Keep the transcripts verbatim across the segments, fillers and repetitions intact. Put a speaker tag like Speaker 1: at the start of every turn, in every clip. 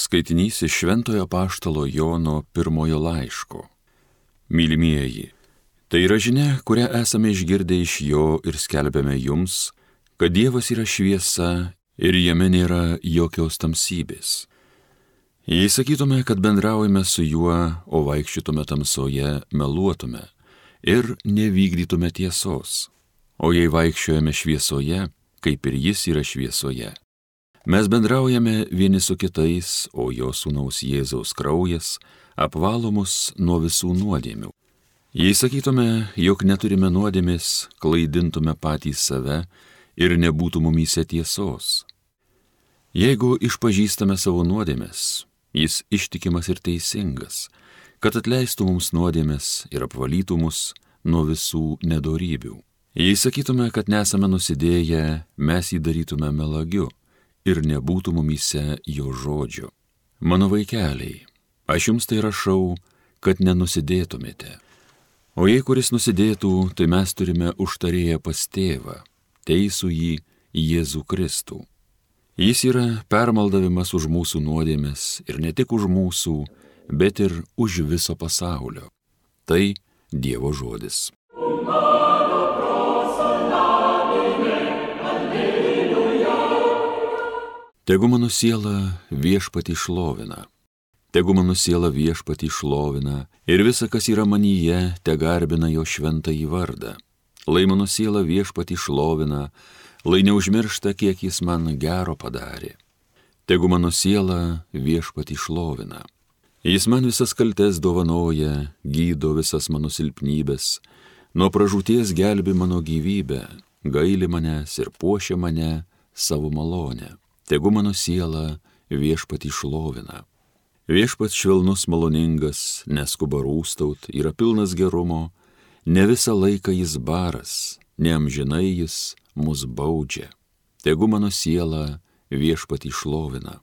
Speaker 1: Skaitinys iš Šventojo Apaštalo Jono pirmojo laiško. Mylimieji, tai yra žinia, kurią esame išgirdę iš jo ir skelbiame jums, kad Dievas yra šviesa ir jame nėra jokios tamsybės. Jei sakytume, kad bendraujame su juo, o vaikščiotume tamsoje, meluotume ir nevykdytume tiesos. O jei vaikščiojame šviesoje, kaip ir jis yra šviesoje, mes bendraujame vieni su kitais, o jo sūnaus Jėzaus kraujas apvalo mus nuo visų nuodėmių. Jei sakytume, jog neturime nuodėmės, klaidintume patys save ir nebūtų mumyse tiesos. Jeigu išpažįstame savo nuodėmės, jis ištikimas ir teisingas, kad atleistų mums nuodėmės ir apvalytų mus nuo visų nedorybių. Jei sakytume, kad nesame nusidėję, mes jį darytume melagiu ir nebūtų mumyse jo žodžio. Mano vaikeliai, aš jums tai rašau, kad nenusidėtumėte. O jei kuris nusidėtų, tai mes turime užtarėję pas tėvą, teisų jį Jėzų Kristų. Jis yra permaldavimas už mūsų nuodėmes ir ne tik už mūsų, bet ir už viso pasaulio. Tai Dievo žodis. Tegu mano siela viešpatį šlovina, tegu mano siela viešpatį šlovina ir visa, kas yra manyje, te garbina jo šventąjį vardą. Lai mano siela viešpatį šlovina, lai neužmiršta, kiek jis man gero padarė. Tegu mano siela viešpatį šlovina. Jis man visas kaltes dovanoja, gydo visas mano silpnybės, nuo pražūties gelbi mano gyvybę, gaili manęs ir puošia mane savo malonę. Tegu mano siela viešpatį šlovina. Viešpats švelnus maloningas, neskuba rūstaut, yra pilnas gerumo, ne visą laiką jis baras, ne amžinai jis mus baudžia. Tegu mano siela viešpatį šlovina.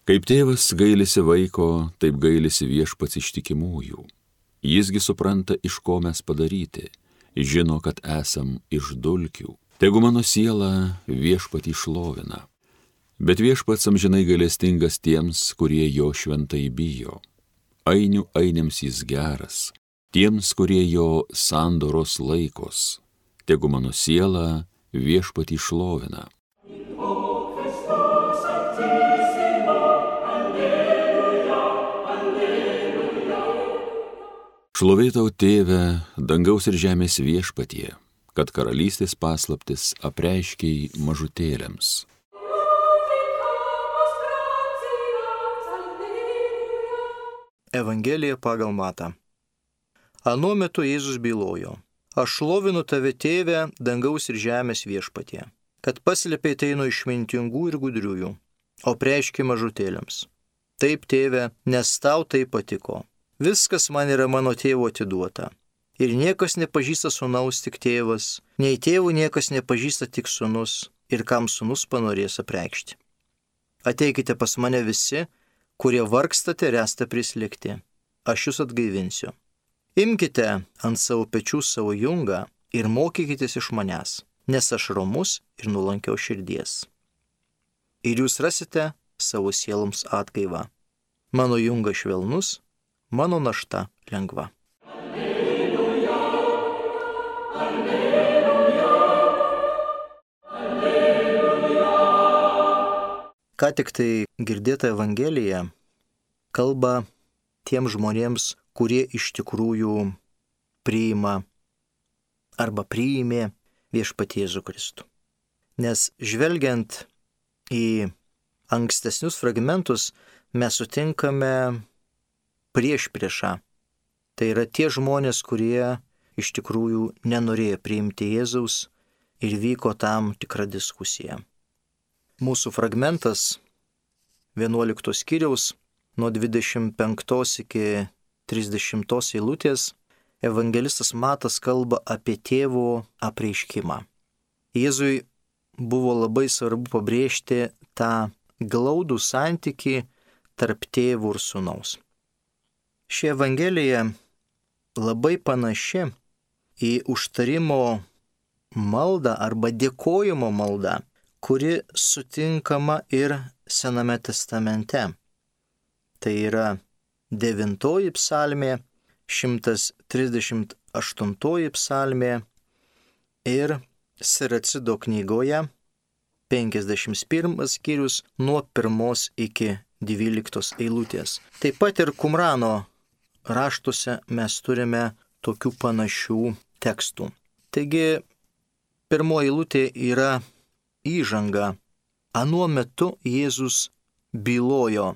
Speaker 1: Kaip tėvas gailisi vaiko, taip gailisi viešpats ištikimųjų. Jisgi supranta, iš ko mes padaryti, žino, kad esam iš dulkių. Tegu mano siela viešpatį šlovina. Bet viešpats amžinai gailestingas tiems, kurie jo šventai bijo. Ainių ainiams jis geras, tiems, kurie jo sandoros laikos. Tegu mano siela viešpatį šlovina. Šlovė tau, Tėve, dangaus ir žemės viešpatie, kad karalystės paslaptis apreiškei mažutėliams.
Speaker 2: Evangelija pagal Matą. Anuo metu Jėzus bylojo: Aš šlovinu tave, Tėve, dangaus ir žemės viešpatie, kad paslėpei tai nuo išmintingų ir gudriųjų, o preiškei mažutėliams. Taip, Tėve, nes tau tai patiko. Viskas man yra mano tėvo atiduota. Ir niekas nepažįsta sūnaus tik tėvas, nei tėvų niekas nepažįsta tik sūnus, ir kam sūnus panorės apreikšti. Ateikite pas mane visi, kurie vargstate ir esate prislėgti. Aš jūs atgaivinsiu. Imkite ant savo pečių savo jungą ir mokykitės iš manęs, nes aš romus ir nuolankios širdies. Ir jūs rasite savo sieloms atgaivą. Mano jungas švelnus, mano našta lengva. Alleluja, alleluja, alleluja. Ką tik tai girdėta Evangelija kalba tiem žmonėms, kurie iš tikrųjų priima arba priimė viešpatį Jėzų Kristų. Nes žvelgiant į ankstesnius fragmentus, mes sutinkame priešpriešą. Tai yra tie žmonės, kurie iš tikrųjų nenorėjo priimti Jėzaus ir vyko tam tikra diskusija. Mūsų fragmentas vienuoliktos skyriaus nuo dvidešimt penktos iki trisdešimtos eilutės evangelistas Matas kalba apie tėvo apreiškimą. Jėzui buvo labai svarbu pabrėžti tą glaudų santykį tarp tėvų ir sūnaus. Ši evangelija labai panaši į užtarimo maldą arba dėkojimo maldą, kuri sutinkama ir Sename testamente. Tai yra devintoji psalmė, šimtas trisdešimt aštuntoji psalmė ir Siracido knygoje penkiasdešimt pirmas skyrius nuo pirmos iki dvyliktos eilutės. Taip pat ir Kumrano raštuose mes turime tokių panašių tekstų. Taigi, pirmoji eilutė yra įžanga. Anuo metu Jėzus bylojo.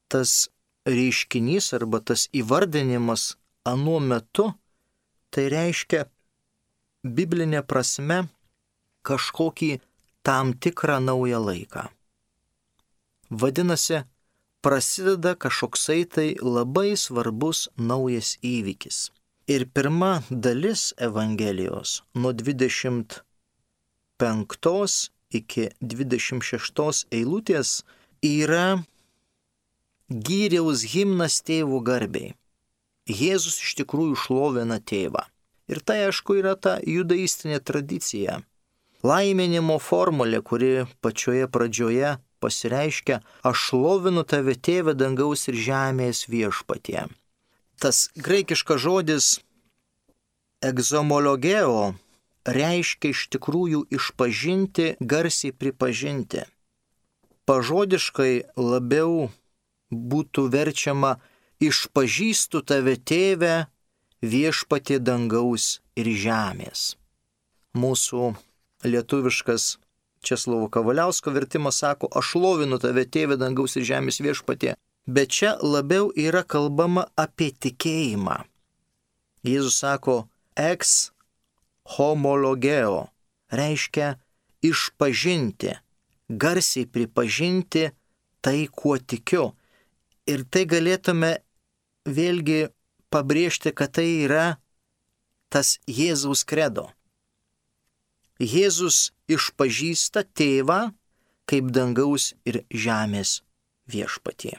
Speaker 2: Tas reiškinys arba tas įvardinimas anuo metu, tai reiškia biblinė prasme kažkokį tam tikrą naują laiką. Vadinasi, prasideda kažkoksai tai labai svarbus naujas įvykis. Ir pirma dalis Evangelijos nuo dvidešimt penktos iki dvidešimt šeštos eilutės yra gyriaus himnas tėvo garbei. Jėzus iš tikrųjų šlovina tėvą. Ir tai, aišku, yra ta judaistinė tradicija. Laiminimo formulė, kuri pačioje pradžioje pasireiškia: aš šlovinu tave, tėve, dangaus ir žemės viešpatie. Tas graikiškas žodis egzomologeo reiškia iš tikrųjų išpažinti, garsiai pripažinti. Pažodiškai labiau būtų verčiama: išpažįstu tave, tėve, viešpatie dangaus ir žemės. Mūsų lietuviškas Česlovo Kavaliausko vertimas sako: aš šlovinu tave, tėve, dangaus ir žemės viešpatie. Bet čia labiau yra kalbama apie tikėjimą. Jėzus sako ex homologeo, reiškia išpažinti, garsiai pripažinti tai, kuo tikiu. Ir tai galėtume vėlgi pabrėžti, kad tai yra tas Jėzaus kredo. Jėzus išpažįsta tėvą kaip dangaus ir žemės viešpatie.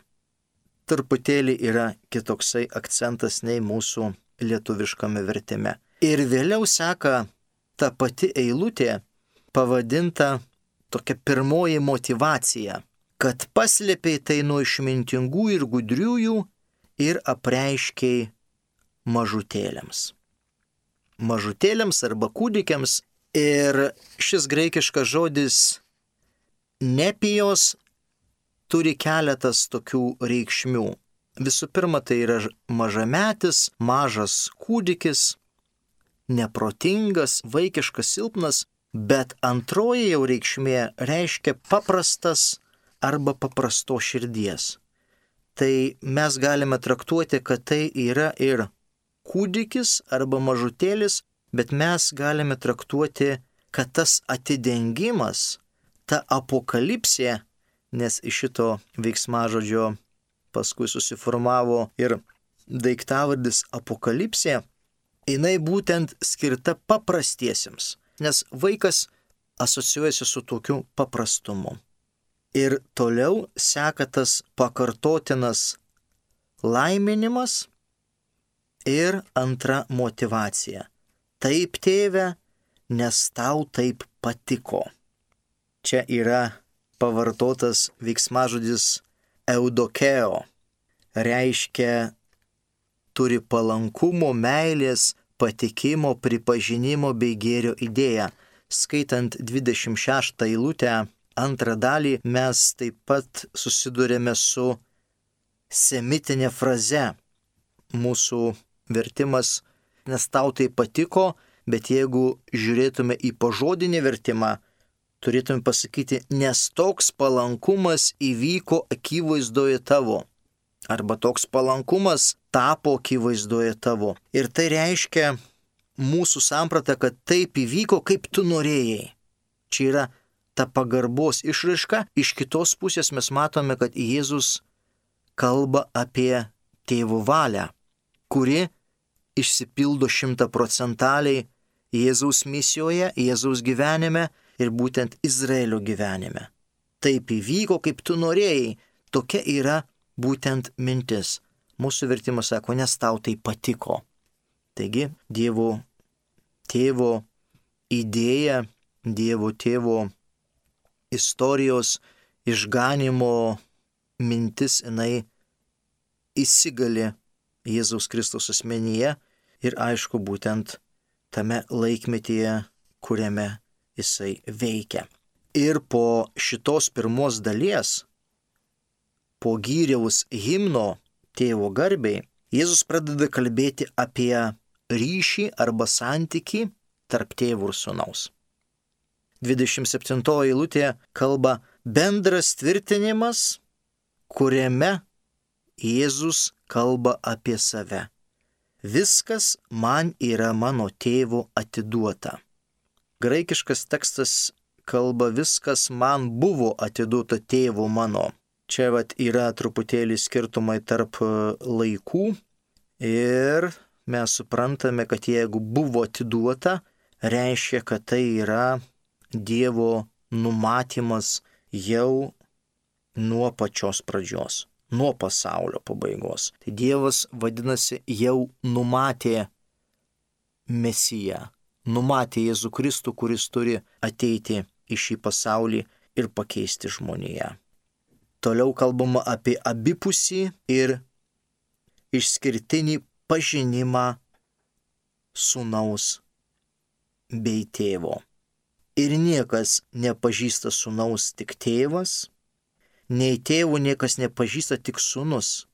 Speaker 2: Truputėlį yra kitoksai akcentas nei mūsų lietuviškame vertime. Ir vėliau seka ta pati eilutė, pavadinta tokia pirmoji motyvacija, kad paslėpei tai nuo išmintingų ir gudriųjų ir apreiškiai mažutėliams. Mažutėliams arba kūdikiams. Ir šis graikiškas žodis nepijos turi keletas tokių reikšmių. Visų pirma, tai yra mažametis, mažas kūdikis, neprotingas, vaikiškas, silpnas, bet antroji jau reikšmė reiškia paprastas arba paprasto širdies. Tai mes galime traktuoti, kad tai yra ir kūdikis arba mažutėlis, bet mes galime traktuoti, kad tas atidengimas, ta apokalipsė, nes iš šito veiksmažodžio paskui susiformavo ir daiktavardis apokalipsė, jinai būtent skirta paprastiesiems, nes vaikas asocijuojasi su tokiu paprastumu. Ir toliau seka tas pakartotinas laiminimas ir antra motyvacija. Taip, tėve, nes tau taip patiko. Čia yra pavartotas veiksmažodis eudokeo. Reiškia turi palankumo, meilės, patikimo, pripažinimo bei gėrio idėją. Skaitant dvidešimt šeštą eilutę, antrą dalį, mes taip pat susidurėme su semitinė fraze. Mūsų vertimas nes tau tai patiko, bet jeigu žiūrėtume į pažodinį vertimą, turėtume pasakyti, nes toks palankumas įvyko akivaizdoje tavo. Arba toks palankumas tapo akivaizdoje tavo. Ir tai reiškia mūsų sampratą, kad taip įvyko, kaip tu norėjai. Čia yra ta pagarbos išraiška. Iš kitos pusės mes matome, kad Jėzus kalba apie tėvo valią, kuri išsipildo šimtaprocentaliai Jėzaus misijoje, Jėzaus gyvenime ir būtent Izraelio gyvenime. Taip įvyko, kaip tu norėjai. Tokia yra būtent mintis. Mūsų vertimas sako, nes tau tai patiko. Taigi, Dievo tėvo idėja, Dievo tėvo istorijos išganimo mintis, jinai įsigali Jėzaus Kristaus asmenyje ir aišku būtent tame laikmetyje, kuriame jisai veikia. Ir po šitos pirmos dalies, po gyriaus himno tėvo garbei, Jėzus pradeda kalbėti apie ryšį arba santykį tarp tėvo ir sūnaus. dvidešimt septintoji eilutė kalba bendras tvirtinimas, kuriame Jėzus kalba apie save. Viskas man yra mano tėvo atiduota. Graikiškas tekstas kalba viskas man buvo atiduota tėvo mano. Čia vat yra truputėlį skirtumai tarp laikų ir mes suprantame, kad jeigu buvo atiduota, reiškia, kad tai yra Dievo numatymas jau nuo pačios pradžios, nuo pasaulio pabaigos. Tai Dievas, vadinasi, jau numatė Mesiją, numatė Jėzų Kristų, kuris turi ateiti į šį pasaulį ir pakeisti žmoniją. Toliau kalbama apie abipusį ir išskirtinį pažinimą sūnaus bei tėvo. Ir niekas nepažįsta sūnaus tik tėvas, nei tėvų niekas nepažįsta tik sūnus,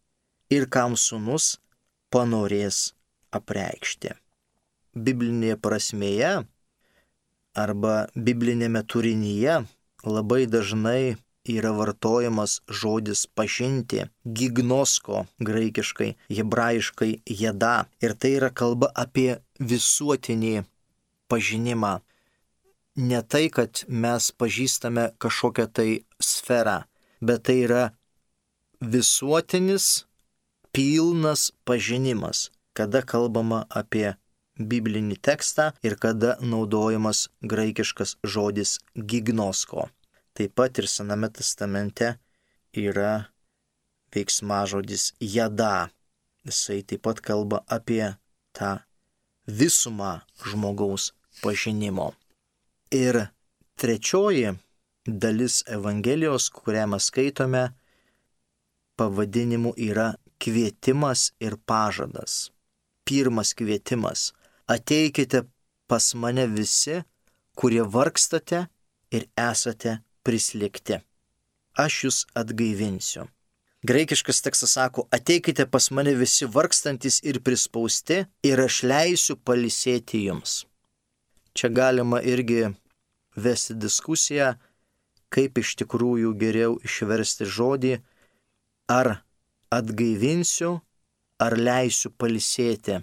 Speaker 2: ir kam sūnus panorės apreikšti. Biblinėje prasmėje arba biblinėme turinyje labai dažnai yra vartojamas žodis pažinti, gignosko, graikiškai, hebrajiškai jeda. Ir tai yra kalba apie visuotinį pažinimą. Ne tai, kad mes pažįstame kažkokią tai sferą, bet tai yra visuotinis, pilnas pažinimas, kada kalbama apie biblinį tekstą ir kada naudojamas graikiškas žodis gignosko. Taip pat ir Sename testamente yra veiksmažodis jada. Jisai taip pat kalba apie tą visumą žmogaus pažinimo. Ir trečioji dalis Evangelijos, kurią mes skaitome, pavadinimu yra kvietimas ir pažadas. Pirmas kvietimas. Ateikite pas mane visi, kurie vargstate ir esate prislėgti. Aš jūs atgaivinsiu. Graikiškas tekstas sako, ateikite pas mane visi vargstantis ir prispausti ir aš leisiu pailsėti jums. Čia galima irgi vesti diskusiją, kaip iš tikrųjų geriau išversti žodį, ar atgaivinsiu, ar leisiu pailsėti.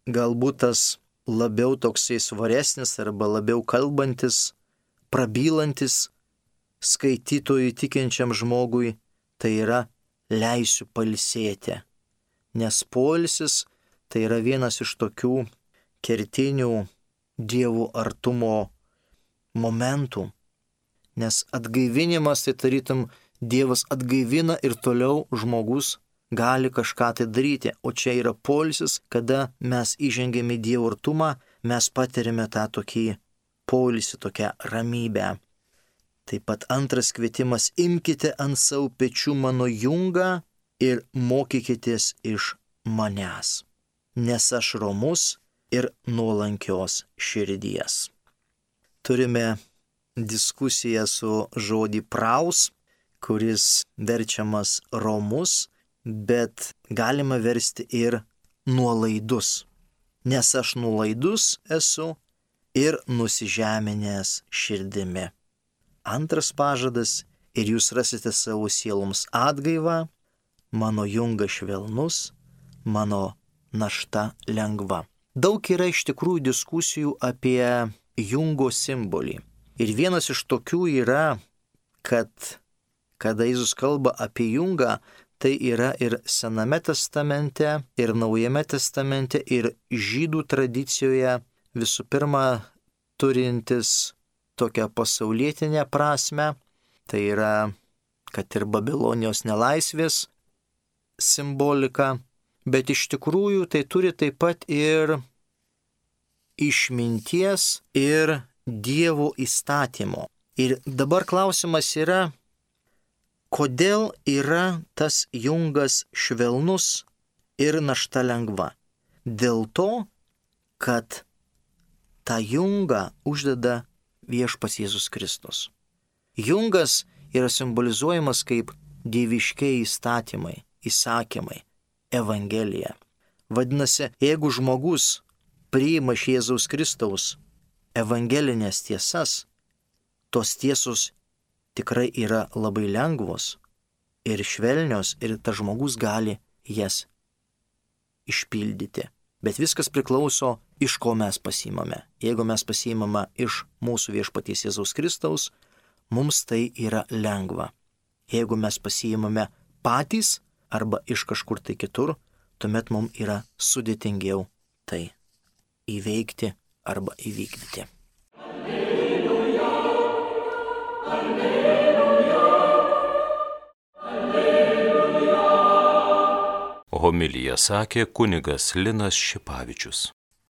Speaker 2: Galbūt tas labiau toksai svaresnis arba labiau kalbantis, prabylantis skaitytojui tikinčiam žmogui, tai yra leisiu pailsėti. Nes poilsis tai yra vienas iš tokių kertinių Dievo artumo momentų. Nes atgaivinimas tai tarytum Dievas atgaivina ir toliau žmogus gali kažką tai daryti. O čia yra poilsis, kada mes įžengėme į Dievo artumą, mes patiriame tą tokį poilsį, tokią ramybę. Taip pat antras kvietimas, imkite ant savo pečių mano jungą ir mokykitės iš manęs, nes aš romus ir nuolankios širdies. Turime diskusiją su žodį praus, kuris verčiamas romus, bet galima versti ir nuolaidus, nes aš nuolaidus esu ir nusižeminęs širdimi. Antras pažadas, ir jūs rasite savo sieloms atgaivą, mano jungas švelnus, mano našta lengva. Daug yra iš tikrųjų diskusijų apie jungo simbolį. Ir vienas iš tokių yra, kad kada Jėzus kalba apie jungą, tai yra ir Sename testamente, ir Naujame testamente, ir žydų tradicijoje visų pirma turintis tokią pasaulietinę prasme, tai yra, kad ir Babilonijos nelaisvės simbolika, bet iš tikrųjų tai turi taip pat ir išminties ir Dievo įstatymo. Ir dabar klausimas yra, Kodėl yra tas jungas švelnus ir našta lengva? Dėl to, kad tą jungą uždeda viešpats Jėzus Kristus. Jungas yra simbolizuojamas kaip dieviškiai įstatymai, įsakymai, evangelija. Vadinasi, jeigu žmogus priima iš Jėzaus Kristaus evangelinės tiesas, tos tiesos tikrai yra labai lengvos ir švelnios ir tas žmogus gali jas išpildyti. Bet viskas priklauso, iš ko mes pasiimame. Jeigu mes pasiimame iš mūsų viešpaties Jėzaus Kristaus, mums tai yra lengva. Jeigu mes pasiimame patys arba iš kažkur tai kitur, tuomet mums yra sudėtingiau tai įveikti arba įvykdyti. Alleluja, alleluja,
Speaker 3: alleluja. Homiliją sakė kunigas Linas Šipavičius.